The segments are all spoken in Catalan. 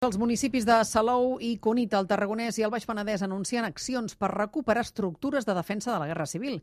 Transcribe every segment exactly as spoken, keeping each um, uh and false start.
Els municipis de Salou i Cunit, al Tarragonès i el Baix Penedès anuncien accions per recuperar estructures de defensa de la Guerra Civil.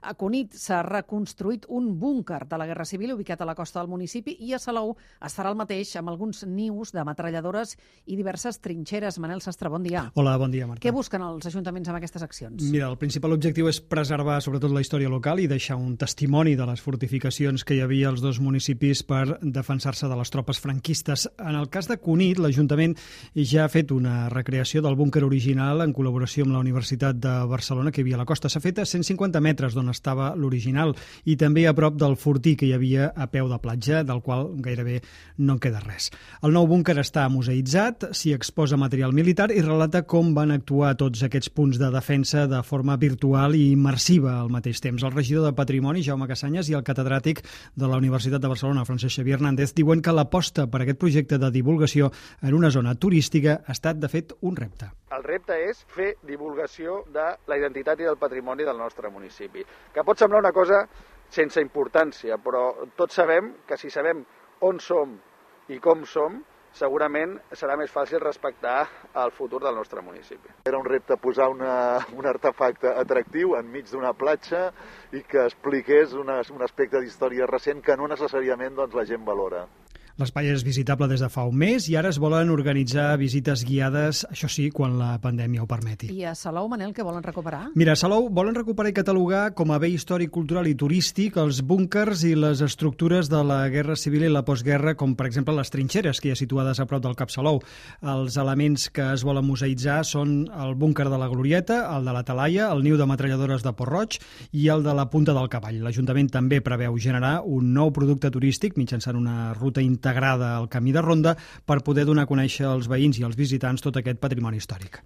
A Cunit s'ha reconstruït un búnquer de la Guerra Civil ubicat a la costa del municipi i a Salou es farà el mateix amb alguns nius de metralladores i diverses trinxeres. Manel Sastre, bon dia. Hola, bon dia, Marta. Què busquen els ajuntaments amb aquestes accions? Mira, el principal objectiu és preservar sobretot la història local i deixar un testimoni de les fortificacions que hi havia als dos municipis per defensar-se de les tropes franquistes. En el cas de Cunit, l'Ajuntament ja ha fet una recreació del búnquer original en col·laboració amb la Universitat de Barcelona que hi havia a la costa. S'ha fet a cent cinquanta metres d'on estava l'original i també a prop del fortí que hi havia a peu de platja, del qual gairebé no en queda res. El nou búnquer està museïtzat, s'hi exposa material militar i relata com van actuar tots aquests punts de defensa de forma virtual i immersiva al mateix temps. El regidor de Patrimoni, Jaume Cassanyes, i el catedràtic de la Universitat de Barcelona, Francesc Xavier Hernández, diuen que l'aposta per aquest projecte de divulgació en una zona turística ha estat, de fet, un repte. El repte és fer divulgació de la identitat i del patrimoni del nostre municipi, que pot semblar una cosa sense importància, però tots sabem que si sabem on som i com som, segurament serà més fàcil respectar el futur del nostre municipi. Era un repte posar una, un artefacte atractiu enmig d'una platja i que expliqués una, un aspecte d'història recent que no necessàriament doncs, la gent valora. L'espai és visitable des de fa un mes i ara es volen organitzar visites guiades, això sí, quan la pandèmia ho permeti. I a Salou, Manel, què volen recuperar? Mira, a Salou volen recuperar i catalogar com a bé històric, cultural i turístic els búnquers i les estructures de la Guerra Civil i la postguerra, com per exemple les trinxeres que hi ha situades a prop del Cap Salou. Els elements que es volen museïtzar són el búnquer de la Glorieta, el de la Talaia, el niu de metralladores de Port-roig i el de la Punta del Cavall. L'Ajuntament també preveu generar un nou producte turístic mitjançant una ruta integrada al camí de ronda per poder donar a conèixer als veïns i als visitants tot aquest patrimoni històric.